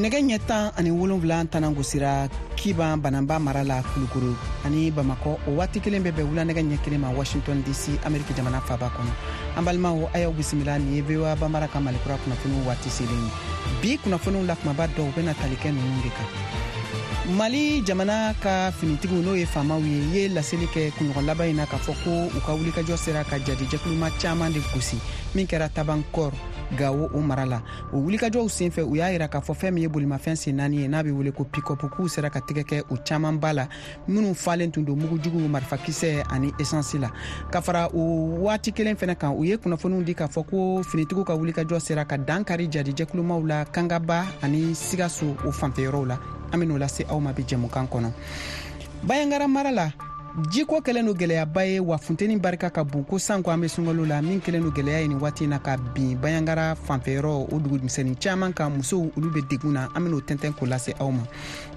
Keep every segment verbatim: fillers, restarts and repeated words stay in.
Nɛgɛ ɲɛ tan ani wolonwula tanan gosira Kiban Bananba mara la Kulukoro ani Bamakɔ, o waati kelen bɛ bɛn wula nɛgɛ ɲɛ kelen ma Washington D C, Ameriki jamana faba kɔnɔ. An balimaw, a y'aw bisimila. Nin ye V O A Banbara ka Malikura kunnafoniw waati selen ye. Bi kunnafoniw la kumaba dɔw bɛna tali kɛ ninnu de kan: Mali jamana ka finitigiw, n'o ye faamaw ye, ye laseli kɛ kunɲɔgɔn laban in na k'a fɔ ko u ka wulikajɔ sera ka jadijɛkuluma caman de gosi min kɛra Tabankɔr, Gawo o mara la. O wulikajɔw senfɛ, u y'a yira k'a fɔ fɛn min ye bolimafɛn sen naani ye, n'a bɛ wele ko pick-up, k'u sera ka tɛgɛ kɛ o camanba la minnu falen tun don mugujugu, marifakisɛ ani esansi la. Ka fara o waati kelen fɛnɛ kan, u ye kunnafoniw di k'a fɔ ko finitigiw ka wulikajɔ sera ka dankari jadijɛkulumaw la Kangaba ani Sigaso o fanfɛyɔrɔw la. An ben'o lase aw ma bi jɛmukan kɔnɔ. Bayangara mara la, jiko kɛlen do gwɛlɛyaba ye, wa funteni barika ka bon ko sanko an be sunkalo la, min kɛlen do gwɛlɛya ye nin waati na ka bin Bayangara fanfɛyɔrɔ o dugumisɛnnin caaman kan. Musow, olu be degun na. An ben'o tɛntɛn k'o lase aw ma.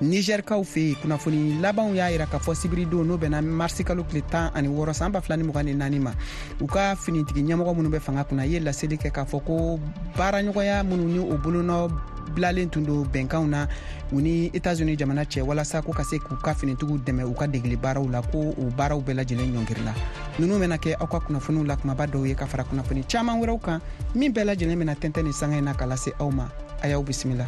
Nizɛrikaw fɛ yen, kunnafoni labanw y'a yira k'a fɔ sibiridon, n'o bɛnna marisikalo tile tan ani wɔɔrɔ san ba fila ni mugan ni naani ma, u ka finitigi ɲɛmɔgɔ minnu bɛ fanga kunna ye laseli kɛ k'a fɔ ko baaraɲɔgɔnya minnu ni o bolonɔ bilalen tun don bɛnkanw na u ni Etats-Unis jamana cɛ, walasa ko ka se k'u ka finitigiw dɛmɛ u ka degeli baaraw la, ko o baaraw bɛɛ lajɛlen ɲɔngirila. Ninnu bɛna kɛ aw ka kunnafoniw la kumaba dɔw ye, ka fara kunnafoni caman wɛrɛw kan min bɛɛ lajɛlen bɛna tɛntɛn ni sanga in na ka lase aw ma. A y'aw bisimila.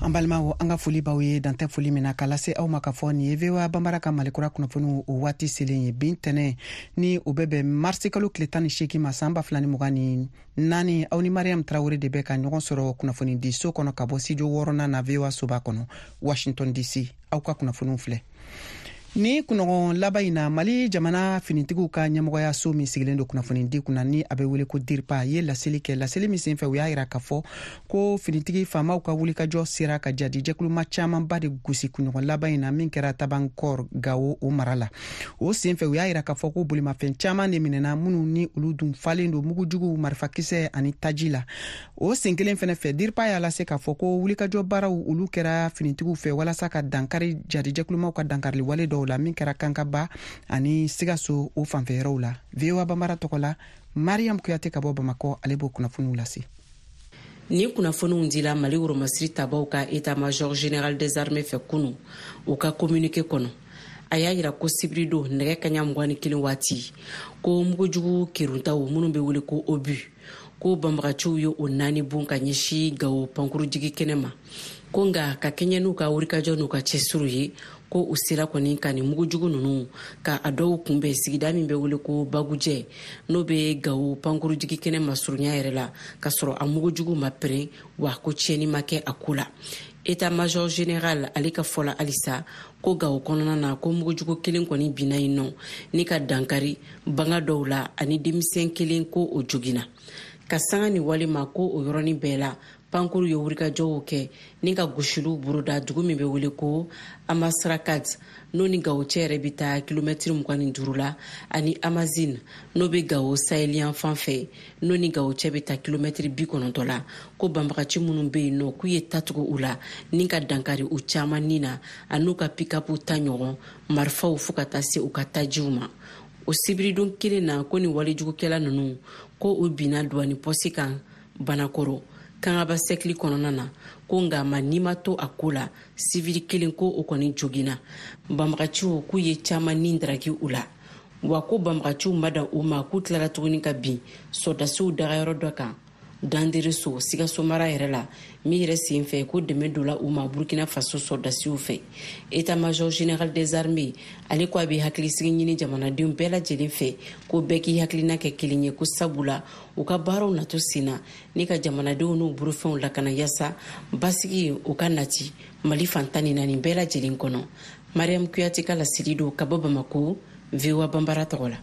An balimaw, an ka foli b'aw ye dantɛ foli min na ka lase aw ma k'a fɔ nin ye V O A Banbara ka Malikura kunnafoniw o waati selen ye. Bin tɛnɛ ni o bɛ bɛn marisi kalo tile tan ni seegin ma san ba fila ni mugan ni naani, aw ni Mariam Tarawele de bɛ ka ɲɔgɔn sɔrɔ kunnafoni di so kɔnɔ ka bɔ studio wɔɔrɔnan na V O A soba kɔnɔ, Washington D C. Aw ka kunnafoniw filɛ ni kunɲɔgɔn laban in na, Mali jamana finitigiw ka ɲɛmɔgɔyaso min sigilen don kunnafoni di kunna, ni a bɛ wele ko DIRPA, ye laseli kɛ. Laseli min senfɛ, u y'a yira k'a fɔ ko finitigi faamaw ka wulikajɔ sera ka jadijɛkuluma camanba de gosi kunɲɔgɔn laban in na min kɛra Tabankɔr, Gawo o mara la. O senfɛ, u y'a yira k'a fɔ ko bolimafɛn caman de minɛna minnu ni olu dun falen don mugujugu, marifakisɛ ani taji la. O sen kelen fɛnɛ fɛ, DIRPA y'a lase k'a fɔ ko wulikajɔ baaraw olu kɛra finitigiw fɛ walasa ka dankari jadijɛkulumaw ka dankarili wale dɔw la min kɛra Kankaba ani Sigaso o fanfɛyɔrɔw la. V O A Banbara tɔgɔ la, Mariam Kuyate ka bɔ Bamakɔ, ale b'o kunnafoniw lase. Ni kunnafoniw dila Mali woromasiri tabaw ka état major général des armées fɛ kunu. U ka communiqué kɔnɔ, a y'a yira ko sibiridon nɛgɛ kaɲa mugan ni kelen waati, ko mugujugu keruntaw minnu bɛ wele ko obus, ko banbagaciw ye o naani bon ka ɲɛsi Gawo pankurujigi kɛnɛ ma. Ko nga ka kɛɲɛ n'u ka wulikajɔ n'u ka cɛsiriw ye, ko u sera kɔni ka nin mugujugu ninnu ka a dɔw kunbɛn sigida min bɛ wele ko Bagujɛ, n'o bɛ Gawo pankurujigi kɛnɛ masurunya yɛrɛ la, k'a sɔrɔ a mugujugu ma pɛrɛn, wa ko tiɲɛni ma kɛ a ko la. État major général ale ka fɔ la halisa ko Gawo kɔnɔna na, ko mugujugu kelen kɔni binna yen nɔ ni ka dankari banga dɔw la, ani denmisɛn kelen ko o joginna. Ka sanga ni wale ma, ko o yɔrɔnin bɛɛ la pankuru ye wulikajɔw kɛ ni ka gosiliw boroda dugu min bɛ wele ko Amasrakat, n'o ni Gawo cɛ yɛrɛ bɛ taa kilomɛtiri mugan ni duuru la, ani Amazine, n'o bɛ Gawo saheliyan fan fɛ, n'o ni Gawo cɛ bɛ taa kilomɛtiri bi kɔnɔntɔn la. Ko banbagaci minnu bɛ yen nɔ, k'u ye tatugu u la ni ka dankari u caman ni na, an'u ka pick-up ta ɲɔgɔn marifaw, fo ka taa se u ka tajiw ma. O sibiridon kelen na, ko ni walejugukɛla ninnu, ko u binna duwani pɔsi kan Banakɔrɔ, Kangaba sɛkili kɔnɔna na. Ko nka ma n'i ma to a ko la, sivili kelen ko o kɔni joginna. Banbagaciw k'u ye caman ni daraki u la, wa ko banbagaciw ma dan u ma, k'u tilara tuguni ka bin sɔrɔdasiw dagayɔrɔ dɔ kan Dandereso, Sikaso mara yɛrɛ la, min yɛrɛ sen fɛ ko dɛmɛ donna u ma Burkina Faso sɔrɔdasiw fɛ. État major général des armées ale ko a bɛ hakilisigi ɲini jamanadenw bɛɛ lajɛlen fɛ, ko bɛɛ k'i hakilina kɛ kelen ye, ko sabula u ka baaraw nato sen na ni ka jamanadenw n'u bolofɛnw lakana, yaasa basigi u ka nati Mali fan tan ni naani bɛɛ lajɛlen kɔnɔ. Mariam Kuyate ka laseli don ka bɔ Bamako, V O A Banbara tɔgɔ la.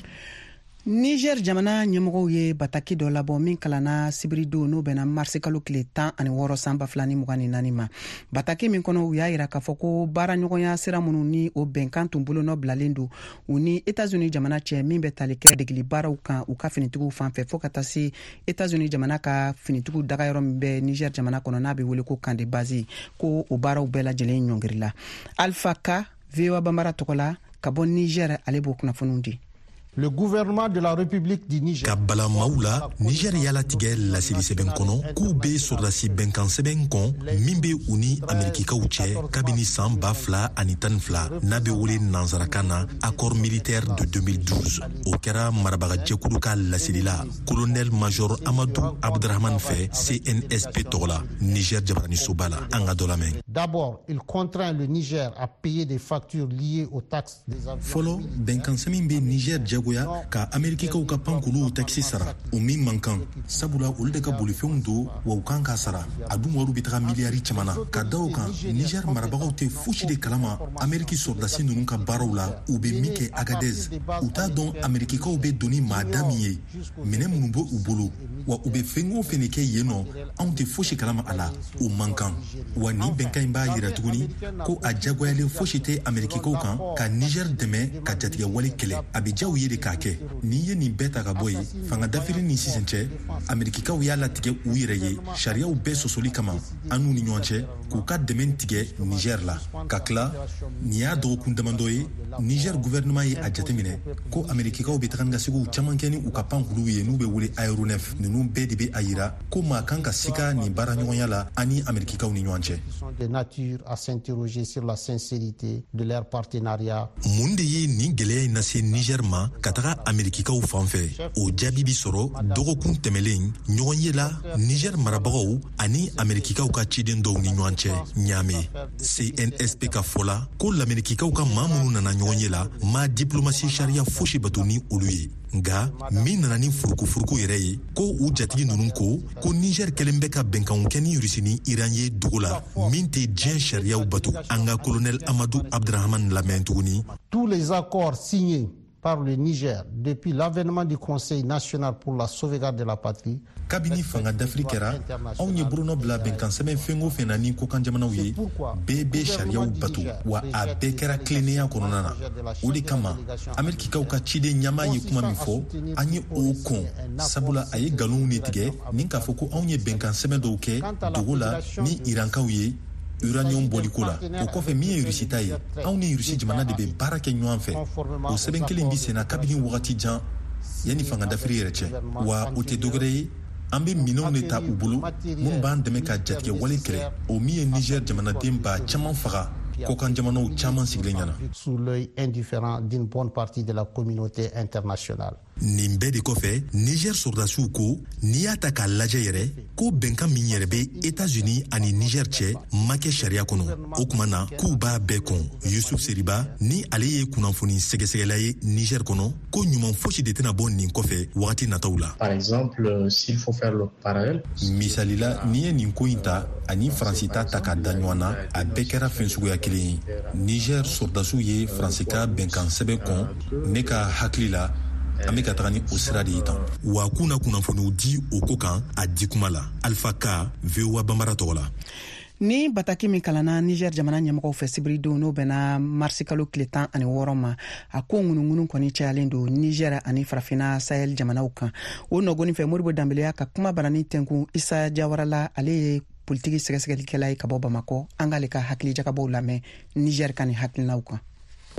Niger jamana ɲɛmɔgɔw ye bataki dɔ labɔ min kalanna sibiridon, n'o bɛnna marisikalo tile tan ani wɔɔrɔ san ba fila ni mugan ni naani ma. Bataki min kɔnɔ, u y'a yira k'a fɔ ko baaraɲɔgɔnya sira minnu ni o bɛnkan tun bolonɔ bilalen don u ni Etats-Unis jamana cɛ, min bɛ tali kɛ degeli baaraw kan u ka finitigiw fan fɛ, fɔɔ ka taa se Etats-Unis jamana ka finitigiw dagayɔrɔ min bɛ Niger jamana kɔnɔ, n'a bɛ wele ko camp de base, ko o baaraw bɛɛ lajɛlen ɲɔngirila. Alpha Ka, V O A Banbara tɔgɔ la ka bɔ Niger, ale b'o kunnafoniw di. Le gouvernement de la République du Niger. Ka bala maaw la, Niger y'a latigɛ laseli sɛbɛn kɔnɔ k'u be sɔrɔdasi bɛnkan sɛbɛn kɔn min be u ni Amerikikaw cɛ kabini saan ba fila ani tan ni fila, n'a be wele nansarakan na accord militaire de deux mille douze. O kɛra marabagajɛkulu ka laseli la colonel major Amadu Abdrahman fɛ C N S P tɔgɔ la Niger jabaranisoba la. An ka dɔ lamɛn. D'abord, il contraint le Niger à payer des factures liées aux taxes des avions. Fɔlɔ, bɛnkan sɛbɛn bɛ Niger jagoya ka Amerikikaw ka pankuluw takisi sara, o min man kan, sabula olu de ka bolifɛnw don wa u kan k'a sara. A dun wariw bɛ taga miliyari caman na. Ka da o kan, Niger marabagaw tɛ fosi de kalama Ameriki sɔrɔdasi ninnu ka baaraw la, u bɛ min kɛ Agadez. U t'a dɔn Amerikikaw bɛ don ni maada min ye, minɛ minnu bɛ u bolo, wa u bɛ fɛn o fɛn de kɛ yen nɔ, anw tɛ fosi kalama a la. O man kan wa. Nin bɛnkan in b'a yira tuguni ko a jagoyalen fosi tɛ Amerikikaw kan ka Niger dɛmɛ ka jatigɛwale kɛlɛ. A bɛ diya u ye de k'a kɛ. N'i ye nin bɛɛ ta ka bɔ yen, fanga dafiri ni sisan cɛ, Amerikikaw y'a latigɛ u yɛrɛ ye sariyaw bɛɛ sɔsɔli kama an n'u ni ɲɔgɔn cɛ, k'u ka dɛmɛ tigɛ Niger la. Ka tila, nin y'a dɔgɔkun damadɔ ye, Niger gouvernement ye a jateminɛ ko Amerikikaw bɛ taga ni ka segiw caman kɛ ni u ka pankuluw ye n'u bɛ wele aéronef. Ninnu bɛɛ de bɛ a yira ko maa kan ka sika nin baaraɲɔgɔnya la an ni Amerikikaw ni ɲɔgɔn cɛ. De nature à s'interroger sur la sincérité de leur partenariat. Mun de ye nin gwɛlɛya in lase Niger ma ka taga Amerikikaw fan fɛ? O jaabi bi sɔrɔ dɔgɔkun tɛmɛlen ɲɔgɔn ye la Niger marabagaw ani Amerikikaw ka ciden dɔw ni ɲɔgɔn cɛ Ɲaame. C N S P ka fɔ la ko Lamerikikaw ka maa minnu nana ɲɔgɔn ye la ma diplomasi sariya fosi bato ni olu ye. Nga min nana ni furukufuruku yɛrɛ ye, ko u jatigi ninnu ko ko Niger kɛlen bɛ ka bɛnkanw kɛ ni Rusi ni Iran ye dogo la, min tɛ diɲɛ sariyaw bato. An ka colonel Amadu Abdrahaman lamɛn tuguni. Tous les accords signés par le Niger depuis l'avènement du Conseil national pour la sauvegarde de la patrie. Kabini fanga dafiri kɛra, anw ye bolonɔ bila bɛnkan sɛbɛn fɛn o fɛn na ni kokan jamanaw ye, bɛɛ bɛ sariyaw bato wa a bɛɛ kɛra tilennenya kɔnɔna na. O de kama Amerikikaw ka ciden ɲɛmaa ye kuma min fɔ, an ye o kɔn, sabula a ye nkalonw de tigɛ ni k'a fɔ ko anw ye bɛnkan sɛbɛn dɔw kɛ dogo la ni Irankaw ye uranium bɔliko la. O kɔfɛ, min ye Rusi ta ye, anw ni Rusi jamana de bɛ baara kɛ ɲɔgɔn fɛ. O sɛbɛn kelen bi senna kabini wagati jan yanni fanga dafiri yɛrɛ cɛ. Wa o tɛ dɔwɛrɛ ye, an bɛ minɛnw de ta u bolo minnu b'an dɛmɛ ka jatigɛwale kɛlɛ, o min ye Niger jamanaden ba caman faga kɔkan jamanaw caman sigilen ɲɛna. Sous l'œil indifférent d'une bonne partie de la communauté internationale. Nin bɛɛ de kɔfɛ, Niger sɔrɔdasiw ko n'i y'a ta k'a lajɛ yɛrɛ, ko bɛnkan min yɛrɛ bɛ Etats-Unis ani Niger cɛ ma kɛ sariya kɔnɔ. O kuma na k'u b'a bɛɛ kɔn. Yusuf Seriba ni ale ye kunnafoni sɛgɛsɛgɛla ye Niger kɔnɔ, ko ɲuman fosi de tɛna bɔ nin kɔfɛ wagati nataw la. Par exemple, s'il faut faire le parallèle. Misalila, n'i ye nin ko in ta ani Faransi ta ta ka da ɲɔgɔn na, a bɛɛ kɛra fɛn suguya kelen ye. Niger sɔrɔdasiw ye Faransi ka bɛnkan sɛbɛn kɔn. Ne ka hakili la, an bɛ ka taga ni o sira de ye tan wa. K'u na kunnafoniw di o ko kan a di kuma la. Alpha Ka, V O A Banbara tɔgɔ la. Ni bataki min kalanna Niger jamana ɲɛmɔgɔw fɛ sibiridon, n'o bɛnna marisikalo tile tan ani wɔɔrɔ ma, a ko ŋunuŋunu kɔni cayalen don Niger ani Farafina Sahel jamanaw kan. O nɔgɔni fɛ, Moribo Danbeleya ka kuma banani tɛnkun Isa Jawara la, ale ye politiki sɛgɛsɛgɛlikɛla ye ka bɔ Bamakɔ. An k'ale ka hakili jagabɔw lamɛn Niger ka nin hakilinaw kan.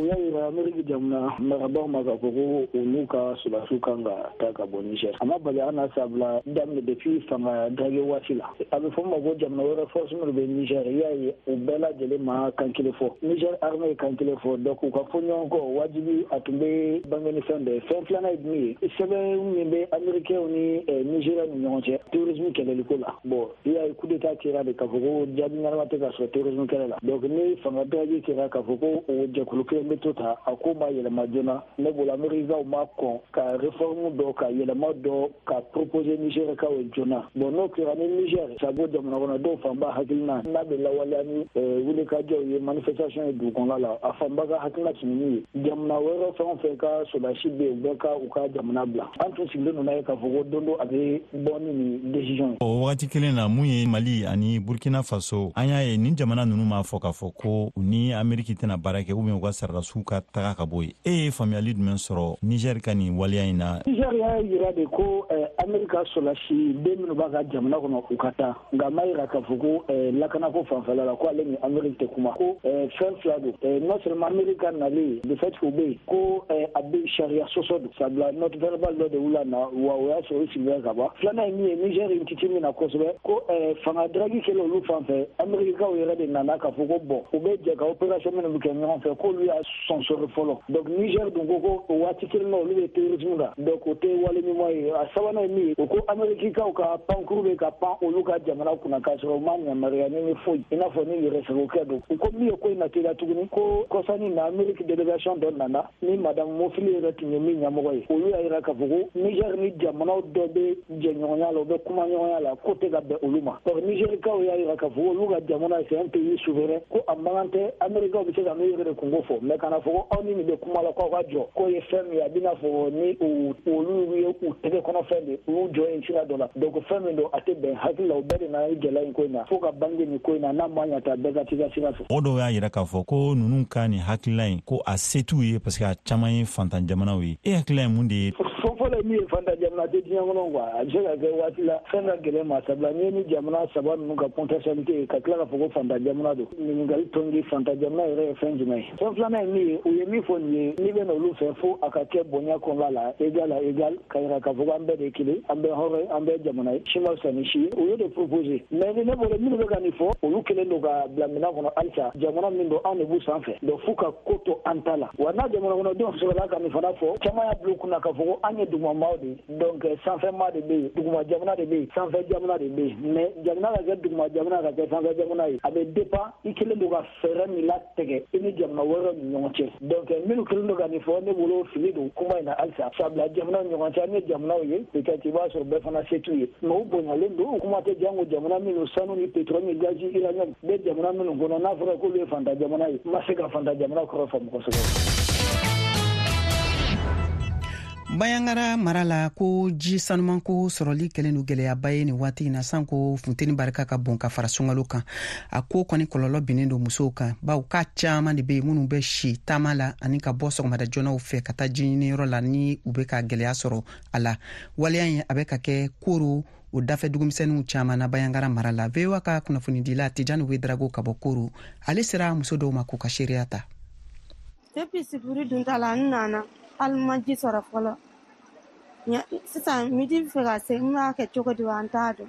U y'a yira Ameriki jamana marabagaw ma k'a fɔ ko olu ka sɔrɔdasiw kan ka taa ka bɔ Niger. A ma bali an na sabula daminɛ depuis fanga dage waati la, a bɛ fɔ ma ko jamana wɛrɛ force minnu bɛ Niger, i y'a ye u bɛɛ lajɛlen ma kan kelen fɔ. Niger armée ye kan kelen fɔ, donc u ka fɔ ɲɔgɔn kɔ wajibi a tun bɛ bange ni fɛn dɔ ye. Fɛn filanan ye min ye, sɛbɛn min bɛ Américains ni Nigéria ni ɲɔgɔn cɛ terrorisme kɛlɛliko la, bon, i y'a ye coup d'état kɛra de k'a fɔ ko jaabi ɲɛnama tɛ ka sɔrɔ terrorisme kɛlɛ la. Donc ni fanga dage kɛra k'a fɔ ko o jɛkulu kelen bɛ to ta, a ko ma yɛlɛma joona. Ne bolo, Américains ma kɔn ka réforme dɔ ka yɛlɛma dɔ ka proposer Nigérikaw ye joona. Bon, n'o kɛra ni Niger sabo jamana kɔnɔ dɔw fanba hakilina n'a bɛ lawaleya ni wulikajɔw ye, manifestation ye dugu kɔnɔna la, a fanba ka hakilina tun ye min ye, jamana wɛrɛ fɛn o fɛn ka sɔrɔdasi bɛ yen, u bɛɛ ka u ka jamana bila. An tun sigilen don n'a ye k'a fɔ ko don dɔ a bɛ bɔ ni nin décision ye. O wagati kelen na, mun ye Mali ani Burkina Faso, an y'a ye nin jamana ninnu m'a fɔ k'a fɔ ko u ni Ameriki tɛna baara kɛ ou bien u ka sɔrɔdasiw ka taga ka bɔ yen. E ye faamuyali jumɛn sɔrɔ Niger ka nin waleya in na? Niger Niger y'a yira de ko Amerika sɔrɔdasi den minnu b'a ka jamana kɔnɔ u ka taa, nka a ma yira k'a fɔ ko lakanako fanfɛla la ko ale ni Ameriki tɛ kuma, ko fɛn fila don. Non seulement Amerika nalen de fait k'u bɛ yen, ko a bɛ sariya sɔsɔ don, sabula note verbale dɔ de wula na wa o y'a sɔrɔ u sigilen ka ban. Filanan ye min ye, Niger in titi min na kosɛbɛ, ko fanga dragi kɛlen olu fan fɛ, Amerikaw yɛrɛ de nana k'a fɔ ko bon u bɛ jɛ ka opération minnu bɛ kɛ ɲɔgɔn fɛ k'olu y'a sɔnsɔrɔ fɔlɔ. Donc Niger dun ko ko o waati kelen na olu bɛ terrorisme kan, donc o tɛ wale ɲuman ye. A sabanan ye min ye, o ko Amerikikaw ka pankuru bɛ ka pan olu ka jamana kunna k'a sɔrɔ u ma yamaruya ni foyi, i n'a fɔ ni yɛrɛsagokɛ don. U ko min ye ko in na teliya tuguni, ko kɔsani na Ameriki délégation dɔ nana ni madame Mofili yɛrɛ tun ye min ɲɛmɔgɔ ye, olu y'a yira k'a fɔ ko Niger ni jamanaw dɔ bɛ jɛɲɔgɔnya la, u bɛ kumaɲɔgɔnya la, ko tɛ ka bɛn olu ma. Donc Nigerikaw y'a yira k'a fɔ olu ka jamana c'est un pays souverain, ko a man kan tɛ Amerikaw bɛ se ka n'u yɛrɛ de kungo fɔ, mais kana fɔ ko aw ni nin bɛ kuma la k'aw ka jɔ, k'o ye fɛn min ye a bɛna fɔ ni olu ye u tɛgɛ kɔnɔ fɛn de, u y'u jɔ yen sira dɔ la. Donc fɛn min don a tɛ bɛn hakili la, u bɛɛ de nana ni gɛlɛya in ko in na, fo ka bange nin ko in na, n'a ma ɲɛ ta bɛɛ ka t'i ka sira fɛ. Mɔgɔ dɔw y'a yira k'a fɔ ko ninnu ka nin hakilila in ko a se t'u ye parce que a caman ye fantan jamanaw ye. E hakilila ye mun de ye? Fɔlɔ ye min ye, fantan jamana tɛ diɲɛ kɔnɔ quoi, a bɛ se ka kɛ waati la fɛn ka gɛlɛn ma, sabula n'i ye ni jamana saba ninnu ka potentialité ye ka tila k'a fɔ ko fantan jamana don, ɲininkali tɔngi fantan jamana yɛrɛ ye fɛn jumɛn ye? Fɛn filanan ye min ye, u ye min fɔ nin ye, n'i bɛ na olu fɛ fo a ka kɛ bonya kɔnɔna la, égal à égal, ka yira k'a fɔ ko an bɛɛ de ye kelen, an bɛɛ hɔrɔn ye, an bɛɛ jamana ye, si ma fisa ni si ye. U ye de proposer, mais ni ne bolo minnu bɛ ka nin fɔ, olu kelen don ka bila minɛn kɔnɔ halisa, jamana min don anw de b'u sanfɛ, donc f'u ka ko to an ta la. Wa n'a jamana kɔnɔdenw sɔrɔla ka nin fana fɔ, caman y'a bila u kunna k'a fɔ ko an ye dugumamaaw de ye, donc sanfɛmaa de bɛ yen, duguma jamana de bɛ yen, sanfɛ jamana de bɛ yen, mais jamana ka kɛ duguma jamana ka kɛ sanfɛ jamana ye, a bɛ dépend i kelen don ka fɛɛrɛ min latigɛ i ni jamana wɛrɛw ni ɲɔgɔn cɛ. Donc minnu kelen don ka nin fɔ, ne bolo fili don kuma in na halisa, sabula jamana ni ɲɔgɔn cɛ, an ye jamanaw ye, peut-être i b'a sɔrɔ bɛɛ fana se t'u ye, mais u bonyalen don. Kuma tɛ jango jamana minnu sanu ni pétrole ni gazi uranium bɛ jamana minnu kɔnɔ, n'a fɔra k'olu ye fantan jamana ye, n ma se ka fantan jamana kɔrɔ faamu kosɛbɛ. Bayangara mara la, ko ji sanumanko sɔrɔli kɛlen don gɛlɛyaba ye nin waati in na, sanko funteni barika ka bon ka fara sunkalo kan. A ko kɔni kɔlɔlɔ binnen don musow kan, bawo k'a caman de bɛ yen minnu bɛ si taama la ani ka bɔ sɔgɔmada joɔnaw fɛ ka taa ji ɲiniyɔrɔ la, ni u bɛ ka gɛlɛya sɔrɔ a la. Waleya in a bɛ ka kɛ Koro o dafɛ dugumisɛnninw caman na Bayangara mara la. V O A ka kunnafonidila Tijani Wedrago ka bɔ Koro, ale sera muso dɔw ma k'u ka seereya ta. Depuis sibiri dunta la n nana, hali ma ji sɔrɔ fɔlɔ. Sisan midi bɛ fɛ ka se, n b'a kɛ cogo di wa, an t'a dɔn.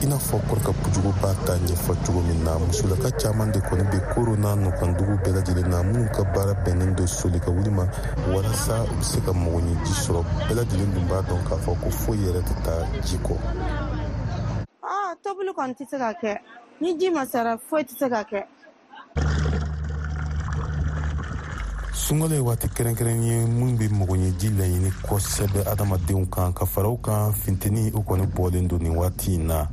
I n'a fɔ Kɔrika Pujugu b'a ta ɲɛfɔ cogo min na, musolaka caman de kɔni bɛ Koro n'a nɔkandugu bɛɛ lajɛlen na, minnu ka baara bɛnnen don soli ka wuli ma walasa u bɛ se ka mɔgɔɲɛji sɔrɔ. Bɛɛ lajɛlen dun b'a dɔn k'a fɔ ko foyi yɛrɛ tɛ taa ji kɔ. Aa, tobili kɔni tɛ se ka kɛ ni ji ma sara, foyi tɛ se ka kɛ. Sunkalo ye waati kɛrɛnkɛrɛn ye min bɛ mɔgɔɲɛji laɲini kosɛbɛ adamadenw kan, ka fara o kan funteni o kɔni bɔlen don nin waati in na.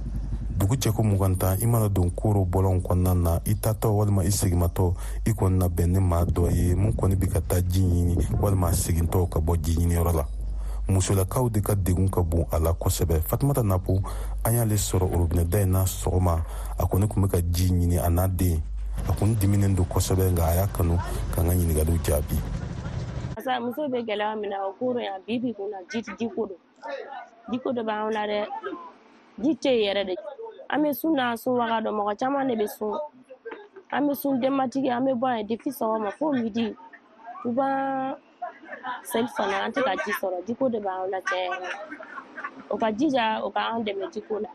Dugu cɛko mugan tan, i mana don Koro bɔlɔnw kɔnɔna na, i taatɔ walima i segimatɔ, i kɔni na bɛn ni maa dɔ ye mun kɔni bɛ ka taa ji ɲini walima a segintɔ ka bɔ ji ɲiniyɔrɔ la. Musolakaw de ka degun ka bon a la kosɛbɛ. Fatumata Napo, an y'ale sɔrɔ orobinɛ da in na sɔgɔma, a kɔni tun bɛ ka ji ɲini a n'a den. A kun diminen don kosɛbɛ, nka a y'a kanu k'an ka ɲininkaliw jaabi. Muso bɛ gɛlɛya min na o Koro yan bi bi kun na, ji jiko don, jiko dɔ b'anw la dɛ, ji tɛ yen yɛrɛ de. An bɛ sun na, sun waga dɔn, mɔgɔ caman de bɛ sun, an bɛ sun denbatigi, an bɛ bɔ yan depuis sɔgɔma fo midi, u b'an seli fana, an tɛ ka ji sɔrɔ, jiko de b'anw la tiɲɛ yɛrɛ la. O ka jija, o ka an dɛmɛ jiko la.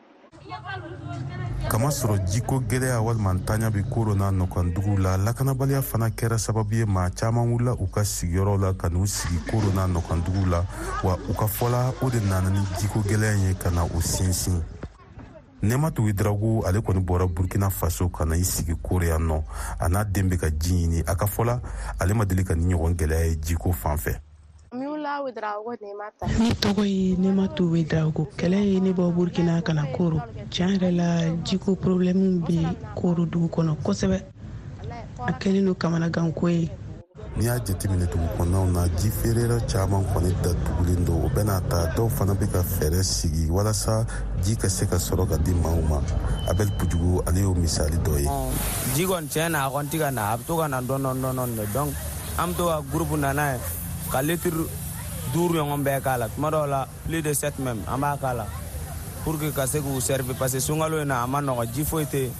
Kamasɔrɔ jiko gɛlɛya walima ntanya bɛ Koro n'a nɔkandugu la, lakanabaliya fana kɛra sababu ye maa caman wulila u ka sigiyɔrɔ la ka n'u sigi Koro n'a nɔkandugu la, wa u ka fɔla o de nana ni jiko gɛlɛya ye ka na u sinsin. Nɛmatu Wedrago, ale kɔni bɔra Burkina Faso ka na i sigi Koro yan nɔ, a n'a den bɛ ka ji ɲini. A ka fɔla ale ma deli ka ni ɲɔgɔn gɛlɛya ye jiko fan fɛ. Ne tɔgɔ ye Nɛmatu Wedrago. Kɛlɛ ye ne bɔ Burkina ka na Koro. Tiɲɛ yɛrɛ la, jiko problème bɛ Koro dugu kɔnɔ kosɛbɛ. A kɛlen don kamanaganko ye. N'i y'a jateminɛ dugu kɔnɔnaw na, ji feereyɔrɔ caman kɔni datugulen don. O bɛna ta dɔw fana bɛ ka fɛɛrɛ sigi walasa ji ka se ka sɔrɔ ka di maaw ma. Abel Pujugu, ale y'o misali dɔ ye. Ji kɔni tiɲɛ na, a kɔni tɛ ka na, a bɛ to ka na dɔɔni dɔɔni de. Donc an bɛ to ka groupe na n'a ye ka litiri duuru ɲɔgɔn bɛɛ k'a la, tuma dɔw la plus de sept même an b'a k'a la pour que ka se k'u servir, parce que sunkalo in na a ma nɔgɔn, ji foyi tɛ yen.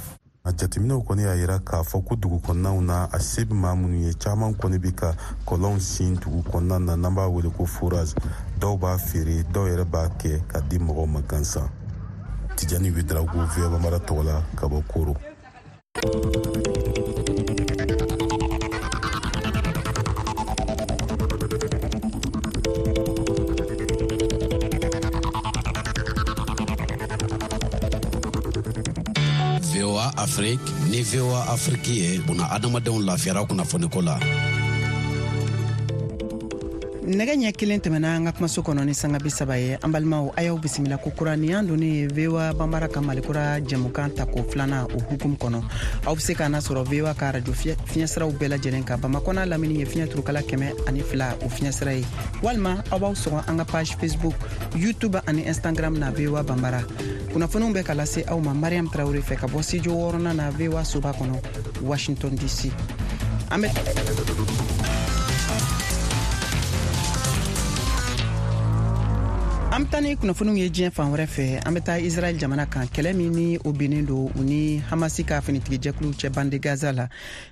A jateminɛw kɔni y'a yira k'a fɔ ko dugu kɔnɔnaw na, a se bɛ maa minnu ye, caman kɔni bɛ ka kɔlɔnw sin dugu kɔnɔna na, n'an b'a wele ko forage. Dɔw b'a feere, dɔw yɛrɛ b'a kɛ ka di mɔgɔw ma gansan. Tijani Ouédraogo, V O A Bambara tɔgɔ la ka bɔ Koro. V O A Afrique ni V O A Afrique ye buna adamadenw lafiyara kunnafoniko la. Nɛgɛ ɲɛ kelen tɛmɛna an ka kumaso kɔnɔ ni sanga bi saba ye. An balimaw, a y'aw bisimila ko kura ni y'an donnen ye V O A Bambara ka Malikura jɛmukan tako filanan o hukumu kɔnɔ. Aw bɛ se k'an nasɔrɔ V O A ka radio fiɲɛsiraw bɛɛ lajɛlen kan. Bamakɔ n'a lamini ye fiɲɛ turukala kɛmɛ ani fila o fiɲɛsira ye, walima aw b'aw sɔgɔ an ka page Facebook, YouTube ani Instagram na V O A Bambara. Kunnafoniw bɛ ka lase aw ma Mariam Traoré fɛ ka bɔ studio wɔɔrɔnan na V O A soba kɔnɔ, Washington D C. An bɛ an bɛ taa ni kunnafoniw ye diɲɛ fan wɛrɛ fɛ. An bɛ taa Israɛl jamana kan, kɛlɛ min ni o binnen don u ni Hamasi ka finitigijɛkulu cɛ bande Gaza la.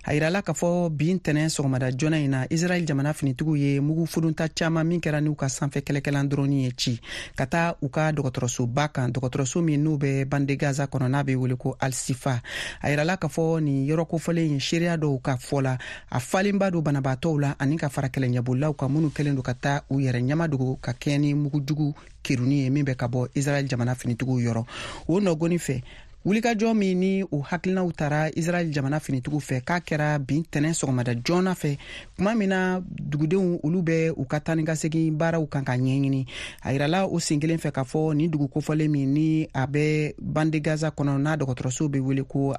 A yirala k'a fɔ bi ntɛnɛn sɔgɔmada joona in na, Israɛl jamana finitigiw ye mugu fudunta caman min kɛra n'u ka sanfɛ kɛlɛkɛlan drone ye ci ka taa u ka dɔgɔtɔrɔsoba kan, dɔgɔtɔrɔso min n'u bɛ bande Gaza kɔnɔ n'a bɛ wele ko Al-Sifa. A yirala k'a fɔ nin yɔrɔ kofɔlen in, seereya dɔw ka fɔ la, a falenba don banabaatɔw la ani ka fara kɛlɛɲɛbolilaw kan minnu kɛlen don ka taa u yɛrɛ ɲɛmadogo ka kɛɲɛ ni mugujugu keruni ye min bɛ ka bɔ Israɛl jamana finitigiw yɔrɔ. O nɔgɔni fɛ, wulikajɔ min ni o hakilinaw tara Israɛl jamana finitigiw fɛ k'a kɛra bi ntɛnɛn sɔgɔmada joona fɛ, tuma min na dugudenw olu bɛ u ka taa ni ka segin baaraw kan ka ɲɛɲini. A yirala o sen kelen fɛ k'a fɔ nin dugu kofɔlen min ni a bɛ bande Gaza kɔnɔ n'a dɔgɔtɔrɔso bɛ wele ko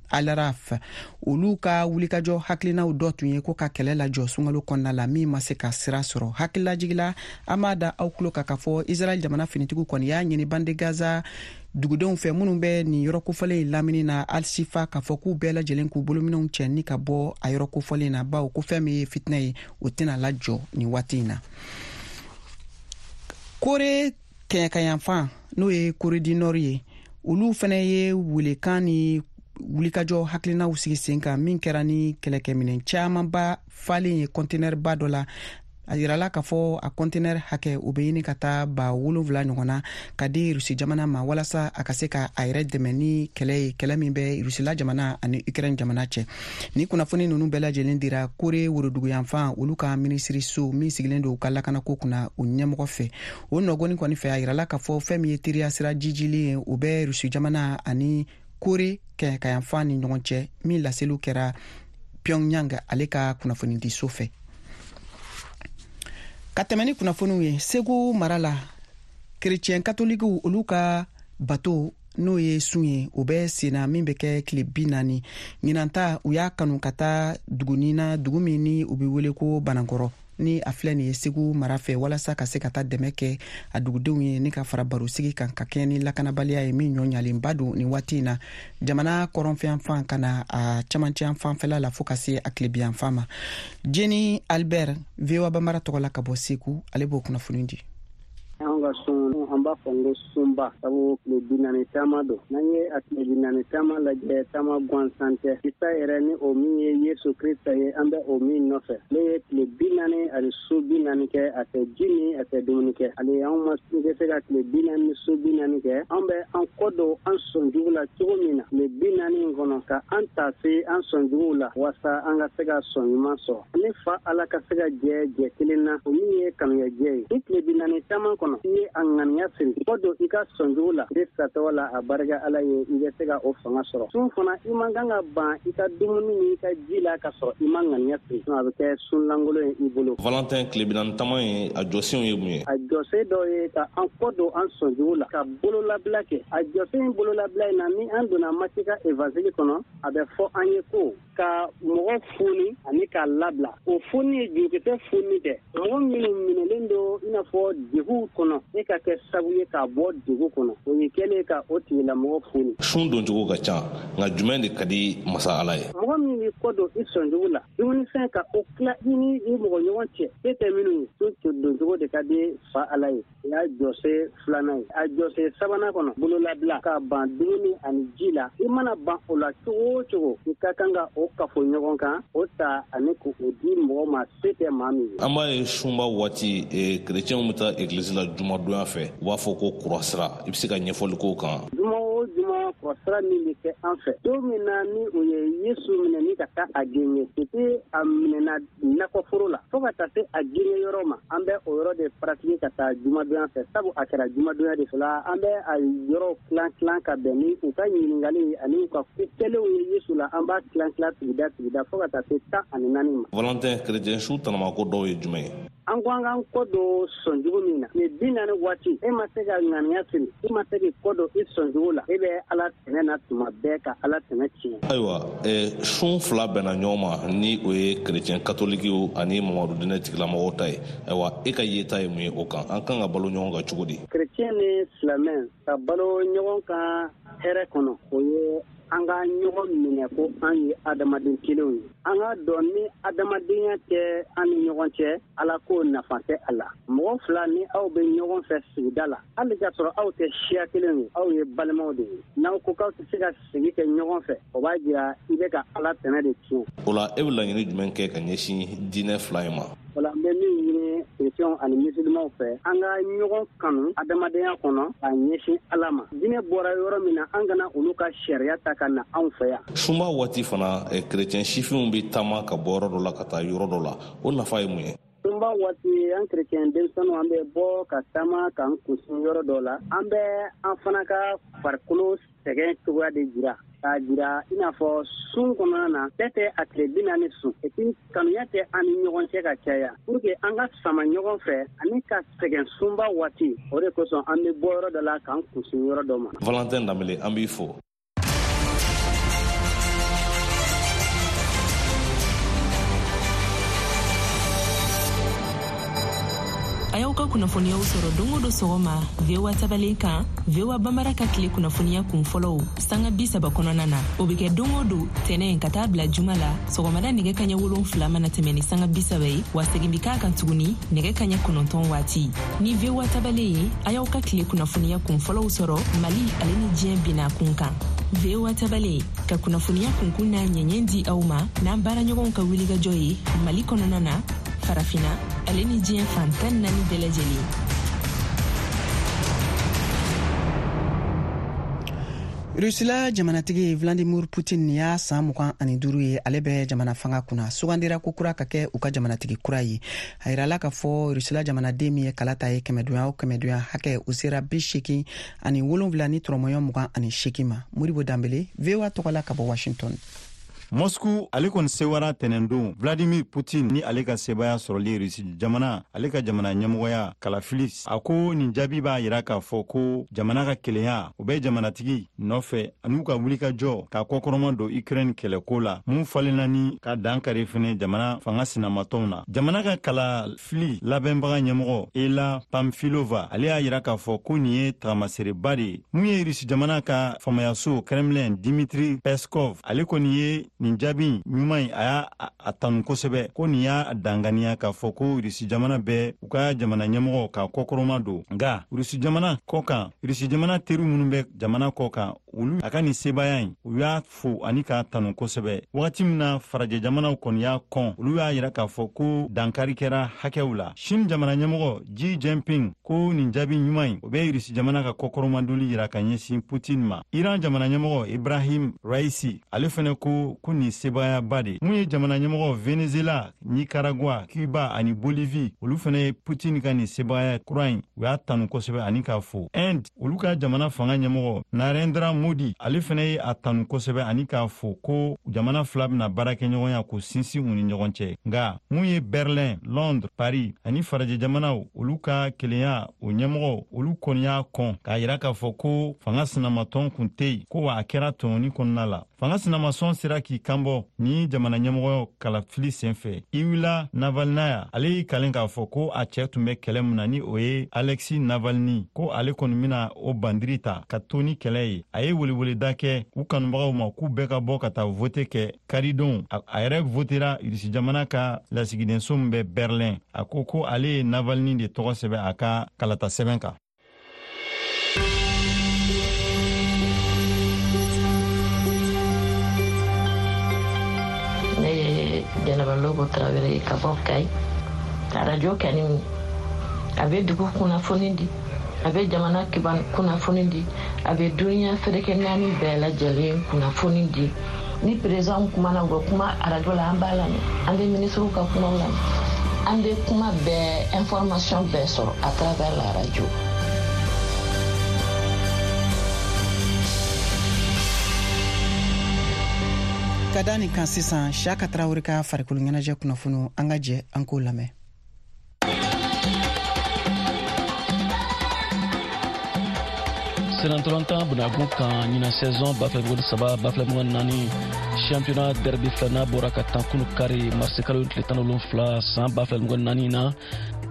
Al-Raf, olu ka wulikajɔ hakilinaw dɔ tun ye ko ka kɛlɛ lajɔ sunkalo kɔnɔna la min ma se ka sira sɔrɔ. Hakililajigila, an b'a da aw tulo kan k'a fɔ Israɛl jamana finitigiw kɔni y'a ɲini bande Gaza dugudenw fɛ minnu bɛ nin yɔrɔ kofɔlen in lamini na Al-Sifa k'a fɔ k'u bɛɛ lajɛlen k'u bolominɛnw cɛ ni ka bɔ a yɔrɔ kofɔlen na, bawo ko fɛn min ye fitinɛ ye o tɛna lajɔ nin waati in na. Kore kɛɲɛkayanfan n'o ye Kore du Nord ye, olu fana ye welekan ni wulikajɔ hakilinaw sigi sen kan min kɛra ni kɛlɛkɛminɛn camanba falen ye kɔntenɛriba dɔ la. A yirala k'a fɔ a kɔntenɛri hakɛ o bɛ ɲini ka taa ba wolonwula ɲɔgɔn na ka di Rusi jamana ma walasa a ka se ka a yɛrɛ dɛmɛ ni kɛlɛ ye, kɛlɛ min bɛ Rusila jamana ani Ukraine jamana cɛ. Ni kunnafoni ninnu bɛɛ lajɛlen dira Kore woroduguyanfan olu ka minisiriso min sigilen don u ka lakanako kunna o ɲɛmɔgɔ fɛ. O nɔgɔni kɔni fɛ, a yirala k'a fɔ fɛn min ye teriya sira jijilen ye o bɛ Rusi jamana ani Kore kɛɲɛkayanfan ni ɲɔgɔn cɛ, min laseliw kɛra Pyongyang ale ka kunnafonidiso fɛ. Ka tɛmɛ ni kunnafoniw ye, Segu mara la, kerecɛn katolikiw olu ka bato n'o ye sun ye o bɛ senna min bɛ kɛ tile bi naani. Ɲinan ta u y'a kanu ka taa dugunin na, dugu min ni u bɛ wele ko Banankɔrɔ, ni a filɛ nin ye Segu mara fɛ, walasa ka se ka taa dɛmɛ kɛ a dugudenw ye ni ka fara barosigi kan ka kɛɲɛ ni lakanabaliya ye min ɲɔ ɲalenba don nin waati in na jamana kɔrɔnfɛyanfan ka na a camancɛyanfanfɛla la fo ka se a tilebiyanfan ma. Jenny Albert, V O A Bambara tɔgɔ la ka bɔ Segu, ale b'o kunnafoni di. An ka sun, an b'a fɔ n ko sunba, sabu tile bi naani taama don. N'an ye a tile bi naani taama lajɛ, taama gansan tɛ. Isa yɛrɛ ni o min ye Yesu Krista ye, an bɛ o min nɔfɛ. Ale ye tile bi naani ani su bi naani kɛ, a tɛ ji min, a tɛ dumuni kɛ. Ale anw ma se ka tile bi naani ni su bi naani kɛ. An bɛ an kɔ don an sɔnjugu la cogo min na tile bi naani in kɔnɔ, ka an ta se an sɔnjuguw la walasa an ka se ka sɔn ɲuman sɔrɔ. Ani fa Ala ka se ka jɛ jɛ kelen na, o min ye kanuyajɛ ye. Ni tile bi naani taama kɔnɔ, i ye a ŋaniya siri kɔ don i ka sɔnjugu la Krista tɔgɔ la, a barika Ala ye, i bɛ se ka o fanga sɔrɔ. Sun fana, i man kan ka ban i ka dumuni ni i ka ji la ka sɔrɔ i ma ŋaniya siri, a bɛ kɛ sun lankolon ye i bolo. Valentin tile bi naani taama in, a jɔsenw ye mun ye? A jɔsen dɔ ye ka an kɔ don an sɔnjugu la, ka bololabila kɛ. A jɔsen bololabila in na, ni an donna Mati ka évangile kɔnɔ, a bɛ fɔ an ye ko ka mɔgɔ foni ani k'a labila. O foni ye jurukisɛ foni tɛ. Mɔgɔ minnu minɛlen don i n'a fɔ degun kɔnɔ, e ka kɛ sabu ye k'a bɔ degun kɔnɔ. O ye kɛlen ka o tigilamɔgɔ foni. Sun doncogo ka ca, nka jumɛn de ka di masa Ala ye? Mɔgɔ min b'i kɔ don i sɔnjugu la, dumunifɛn ka o tila i ni i mɔgɔ ɲɔgɔn cɛ, e tɛ minnu ye, sun doncogo de ka di fa Ala ye. O y'a jɔsen filanan ye. A jɔsen sabanan kɔnɔ, bololabila ka ban dumuni ani ji la. I mana ban o la cogo o cogo, i ka kan ka o kafo ɲɔgɔn kan, o ta ani k'o di mɔgɔ ma se tɛ maa min ye. An b'a ye sunba waati kerecɛnw bɛ taa egilizi la jumadonya fɛ, u b'a fɔ ko kurasira. I bɛ se ka ɲɛfɔli k'o kan? Juma o juma kurasira min bɛ kɛ an fɛ, don min na ni o ye Yesu minɛ ni ka taa a genge, depuis a minɛna nakɔforo la fo ka taa se a genge yɔrɔ ma, an bɛ o yɔrɔ de pratiquer ka taa jumadonya fɛ, sabu a kɛra jumadonya de fɛ la. An bɛ a yɔrɔ tilan tilan ka bɛn ni u ka ɲininkali ani u ka ko kɛlenw ye Yesu la. An b'a tilan tilan sigida sigida fo ka taa se tan ani naani ma. Valentin, kerecɛn su tanamako dɔw ye jumɛn ye? An ko an k'an kɔ don sɔnjugu min na, tile bi naani waati, e ma se ka ŋaniya siri, e ma se k'i kɔ don i sɔnjugu la, e bɛ Ala tɛnɛ na tuma bɛɛ ka Ala tɛnɛ tiɲɛ. Ayiwa, eh, sun fila bɛnna ɲɔgɔn ma, ni o ye kerecɛn katolikiw ani mamadu dinɛ tigilamɔgɔw ta ye. Ayiwa, e ka yeta ye mun ye o kan? An kan ka balo ɲɔgɔn kan cogo di? Kerecɛn ni silamɛ ka balo ɲɔgɔn kan hɛrɛ kɔnɔ, o ye an ka ɲɔgɔn minɛ ko an ye adamaden kelenw ye. An ka dɔn ni adamadenya tɛ an ni ɲɔgɔn cɛ, Ala ko nafa tɛ a la. Mɔgɔ fila ni aw bɛ ɲɔgɔn fɛ sigida la, hali k'a sɔrɔ aw tɛ siya kelen ye, aw ye balimaw de ye. N'aw ko k'aw tɛ se ka sigi kɛ ɲɔgɔn fɛ, o b'a jira i bɛ ka Ala tɛnɛ de tiɲɛ. O la, e bɛ laɲini jumɛn kɛ ka ɲɛsin diinɛ fila in ma? O la, n bɛ min ɲini kerecɛnw ani musulmanw fɛ, an ka ɲɔgɔn kanu adamadenya kɔnɔ ka ɲɛsin Ala ma. Diinɛ bɔra yɔrɔ min na, an kana olu ka sariya ta ka na anw fɛ yan. Sunba waati fana, kerecɛn sifinw bɛ taama ka bɔ yɔrɔ dɔ la ka taa yɔrɔ dɔ la, o nafa ye mun ye? Sunba waati, an kerecɛn denmisɛnninw, an bɛ bɔ ka taama k'an kunsin yɔrɔ dɔ la. An bɛ an fana ka farikolo sɛgɛn cogoya de jira, k'a jira i n'a fɔ sun kɔnɔna na, bɛɛ tɛ a tile bi naani sun, et puis kanuya tɛ an ni ɲɔgɔn cɛ ka caya, pour que an ka sama ɲɔgɔn fɛ ani ka sɛgɛn sunba waati. O de kosɔn an bɛ bɔ yɔrɔ dɔ la k'an kunsin yɔrɔ dɔ ma. Valentin Danbele, an b'i fo. A y'aw ka kunnafoniyaw sɔrɔ don o don sɔgɔma V O A tabalen kan, V O A Bambara ka tile kunnafoniya kun fɔlɔw sanga bi saba kɔnɔna na. O bɛ kɛ don o don tɛnɛ ka taa bila juma la sɔgɔmada nɛgɛ kaɲɛ wolonfila mana tɛmɛ ni sanga bi saba ye, wa segin bɛ k'a kan tuguni nɛgɛ kaɲɛ kɔnɔntɔn waati. Ni V O A tabalen ye, a y'aw ka tile kunnafoniya kun fɔlɔw sɔrɔ Mali ale ni diɲɛ binna kun kan. V O A tabalen ka kunnafoniya kunkun n'a ɲɛɲɛ di aw ma n'an baaraɲɔgɔnw ka wulikajɔ ye Mali kɔnɔna na, Farafina ale ni diɲɛ fan tan naani bɛɛ lajɛlen. Rusila jamanatigi Vladimir Putin y'a san mugan ani duuru ye, ale bɛ jamana fanga kunna, sugandira ko kura ka kɛ u ka jamanatigi kura ye. A yirala k'a fɔ Rusila jamanaden min ye kalata ye kɛmɛdonya o kɛmɛdonya hakɛ, o sera bi seegin ani wolonwula ni tɔrɔmɔɲɔ mugan ani seegin ma. Modibo Danbele, V O A tɔgɔ la ka bɔ Washington. Moscou ale kɔni sewara tɛnɛndon Vladimir Putin ni ale ka sebaya sɔrɔli Rusi jamana ale ka jamana ɲɛmɔgɔya kalafili. A ko nin jaabi b'a yira k'a fɔ ko jamana ka kelenya o bɛ jamanatigi nɔfɛ an'u ka wulikajɔ ka kɔkɔrɔma don Ukraine kɛlɛko la, mun falenna ni ka dan kari fɛnɛ jamana fanga sinamatɔnw na. Jamana ka kalafili labɛnbaga ɲɛmɔgɔ Ela Pamfilova ale y'a yira k'a fɔ ko nin ye tagamasereba de ye. Mun ye Rusi jamana ka faamayaso Kremlin Dmitri Peskov ale kɔni ye nin jaabi ɲuman in a y'a a tanu kosɛbɛ, ko nin y'a danganiya k'a fɔ ko Rusi jamana bɛ u ka jamana ɲɛmɔgɔ ka kɔkɔrɔma don. Nka Rusi jamana kɔ kan, Rusi jamana teri minnu bɛ jamana kɔ kan, olu a ka nin sebaaya in u y'a fo ani k'a tanu kosɛbɛ. Wagati min na farajɛ jamanaw kɔni y'a kɔn, olu y'a yira k'a fɔ ko dankari kɛra hakɛw la. Chine jamana ɲɛmɔgɔ Xi Jinping ko nin jaabi ɲuman in o bɛ Rusi jamana ka kɔkɔrɔmadoli yira ka ɲɛsin Putin ma. Iran jamana ɲɛmɔgɔ Ibrahim Raisi ale fɛnɛ ko ko nin sebaayaba de. Mun ye jamana ɲɛmɔgɔ Venezuela, Nicaragua, Cuba ani Bolivie, olu fɛnɛ ye Putin ka nin sebaaya kura in u y'a tanu kosɛbɛ ani k'a fo. Inde olu ka jamana fanga ɲɛmɔgɔ Narendra Modi ale fɛnɛ ye a tanu kosɛbɛ ani k'a fo ko jamana fila bɛna baara kɛ ɲɔgɔnya k'u sinsin u ni ɲɔgɔn cɛ. Nka mun ye Berlin, Londres, Paris ani farajɛ jamanaw olu ka kelenya o ɲɛmɔgɔ olu kɔni y'a kɔn k'a yira k'a fɔ ko fanga sinamatɔn kun tɛ yen, ko wa a kɛra tɔɲɔni kɔnɔna la. Fanga sinamasɔn sera k'i kanbɔ ni jamana ɲɛmɔgɔ kalafili senfɛ. Iwila Navalnaya, ale y'i kalen k'a fɔ ko a cɛɛ tun bɛ kɛlɛ min na, ni o ye Alexis Navalny, ko ale kɔni bɛna o bandiri ta ka to ni kɛlɛ ye. A ye weleweleda kɛ u kanubagaw ma k'u bɛɛ ka bɔ ka taa vote kɛ karidon. A yɛrɛ votera Irisi jamana ka lasigidenso min bɛ Berlin. A ko ko ale ye Navalny de tɔgɔ sɛbɛn a ka kalata sɛbɛn kan. Ne ye Jɛnɛba Lobo Tarawele ye ka bɔ Kayi. Arajo kɛni, a bɛ dugu kunnafoni di, a bɛ jamana kiban kunnafoni di, a bɛ duniya ferekɛ naani bɛɛ lajɛlen kunnafoni di. Ni président kumana, u bɛ kuma arajo la, an b'a lamɛn. An bɛ minisiriw ka kumaw lamɛn, an bɛ kuma bɛɛ, information bɛɛ sɔrɔ à travers la radio. Ka da nin kan sisan, Siyaka Tarawele ka farikolo ɲɛnajɛ kunnafoniw, an ka jɛ an k'o lamɛn. Senatɔlɔntan bunakun kan, ɲinan saison ba fila mugan ni saba ba fila mugan naani championnat derby filanan bɔra ka tan kunu kari, marisi kalo tile tan wolonfila san ba fila mugan naani na,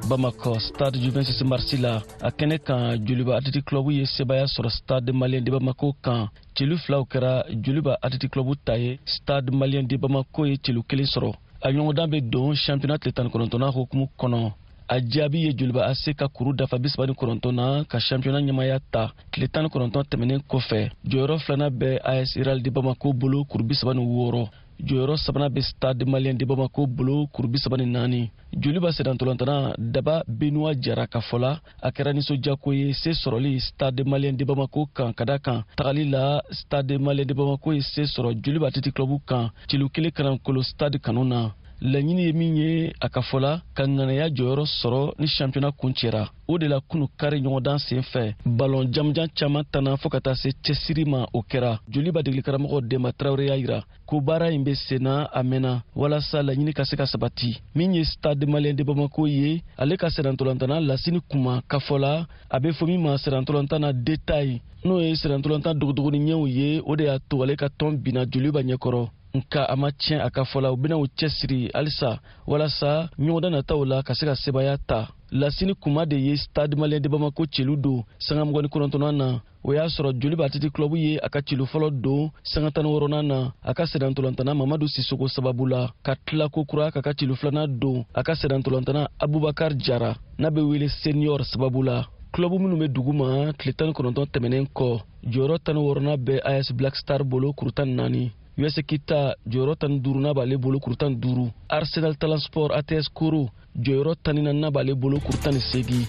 Bamakɔ stade du vingt-six mars la. A kɛnɛ kan, Joliba Athletic Club ye sebaaya sɔrɔ Stade Malien de Bamako kan. Celu filaw kɛra Joliba Athletic Club ta ye, Stade Malien de Bamako ye celu kelen sɔrɔ. A ɲɔgɔndan bɛ don championnat tile tan ni kɔnɔntɔnnan hukumu kɔnɔ. A jaabi ye Joliba A C ka kuru dafa bi saba ni kɔnɔntɔn na ka championnat ɲɛmaya ta tile tan ni kɔnɔntɔn tɛmɛnen kɔfɛ. Jɔyɔrɔ filanan bɛ A S Real de Bamako bolo, kuru bi saba ni wɔɔrɔ. Jɔyɔrɔ sabanan bɛ Stade Malien de Bamako bolo, kuru bi saba ni naani. Joliba sennantolantana Daba Benoit Jara ka fɔ la, a kɛra nisɔndiyako ye se sɔrɔli Stade Malien de Bamako kan, ka da kan tagali la, Stade Malien de Bamako ye se sɔrɔ Joliba Athletic Club kan celu kelen kanankolo stade kanu na. Laɲini ye min ye, a ka fɔ la, ka ŋanaya jɔyɔrɔ sɔrɔ ni championnat kuncɛra. O de la, kunu kari ɲɔgɔndan sen fɛ, balɔn jamujan caaman tanna fɔɔ ka taa se cɛsiri ma, o kɛra. Joliba degeli karamɔgɔ Denba Tarawele y'a yira ko baara in be senna a mɛnna walasa laɲini ka se ka sabati. Min ye Stade Malien de Bamako ye, ale ka sennantolantana Lasini Kuma ka fɔ la, a be fɔ min ma sennantolantan na détail, n'o ye sennantolantan dogodogoni ɲɛw ye, o de y'a to ale ka tɔn binna Joliba ɲɛkɔrɔ. Nka a ma tiɲɛ, a ka fɔ la, u bɛna u cɛsiri halisa walasa ɲɔgɔndan nataw la ka se ka sebaaya ta. Lasini Kuma de ye Stade Malien de Bamako celu don sanga mugan ni kɔnɔntɔnnan na. O y'a sɔrɔ Joliba Athletic Club ye a ka celu fɔlɔ don sanga tan ni wɔɔrɔnan na, a ka sennantolantana Mamadu Sisoko sababu la, ka tila ko kura k'a ka celu filanan don a ka sennantolantana Abubakar Jara, n'a bɛ wele Senior, sababu la. Club minnu bɛ dugu ma tile tan ni kɔnɔntɔn tɛmɛnen kɔ, jɔyɔrɔ tan ni wɔɔrɔnan bɛ A S Black Star bolo, kuru tan ni naani. U S Kita, jɔyɔrɔ tan ni duurunan b'ale bolo, kuru tan ni duuru. Arsenal Talent Sport A T S Koro, jɔyɔrɔ tan ni naaninan b'ale bolo, kuru tan ni seegin.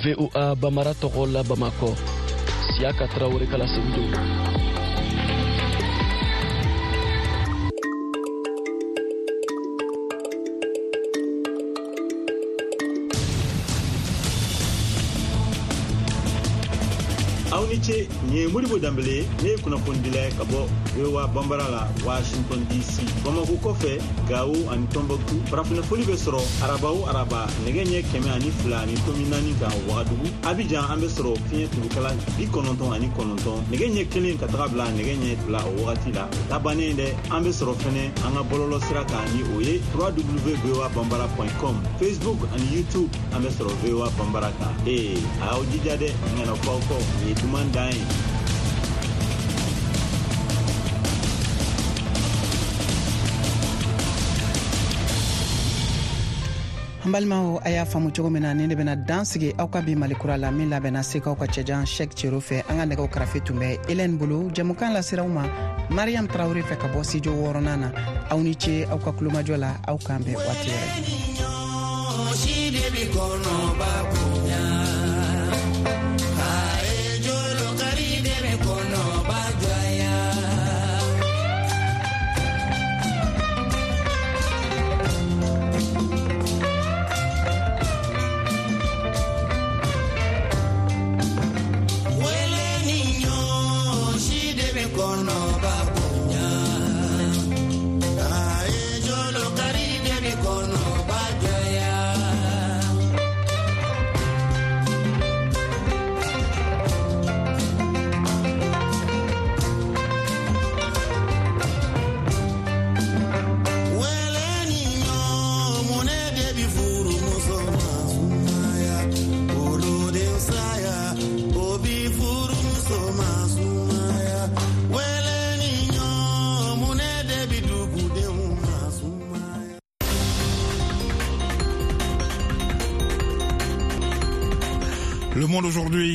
V O A Bamara tɔgɔ la, Bamakɔ, Siyaka Tarawele kala segi don. Aw ni ce. Nin ye Modibo Danbele ye, ne ye kunnafonidila ye ka bɔ V O A Banbara la, Washington D C. Bamako kɔfɛ, Gawo ani Tɔnbɔkutu, farafinafoli bɛ sɔrɔ araba o araba nɛgɛ ɲɛ kɛmɛ ani fila ani tomi naani kan Wagadugu. Abijan, an bɛ sɔrɔ fiɲɛ turukala bi kɔnɔntɔn ani kɔnɔntɔn, nɛgɛ ɲɛ kelen ka taga bila nɛgɛ ɲɛ fila o wagati la. O ta bannen dɛ, an bɛ sɔrɔ fɛnɛ an ka bɔlɔlɔ sira kan, ni o ye W W W voa bambara com. Facebook ani YouTube, an bɛ sɔrɔ V O A Banbara kan. Ee, a y'aw jija dɛ, n kana fɔ aw kɔ, nin ye duman dan ye. An balimaw, a y'a faamu cogo min na, ni ne bɛna dan sigi aw ka bi Malikura la, min labɛnna Sekaw ka cɛjan Shɛk Cero fɛ. An ka nɛgɛw karafe tun bɛ Elɛn bolo. Jɛmukan laseraw ma Mariam Tarawure fɛ ka bɔ studio wɔɔrɔnan na. Aw ni ce aw ka kulomajɔ la. Aw k'an bɛn waati wɛrɛ. Si de bi kɔnɔba bonya, aye jolokari de bi kɔnɔba jɔya. Wele ni ɲɔ si de bi kɔnɔba bonya, aye jolokari de bi kɔnɔba jɔya. Le Monde aujourd'hui.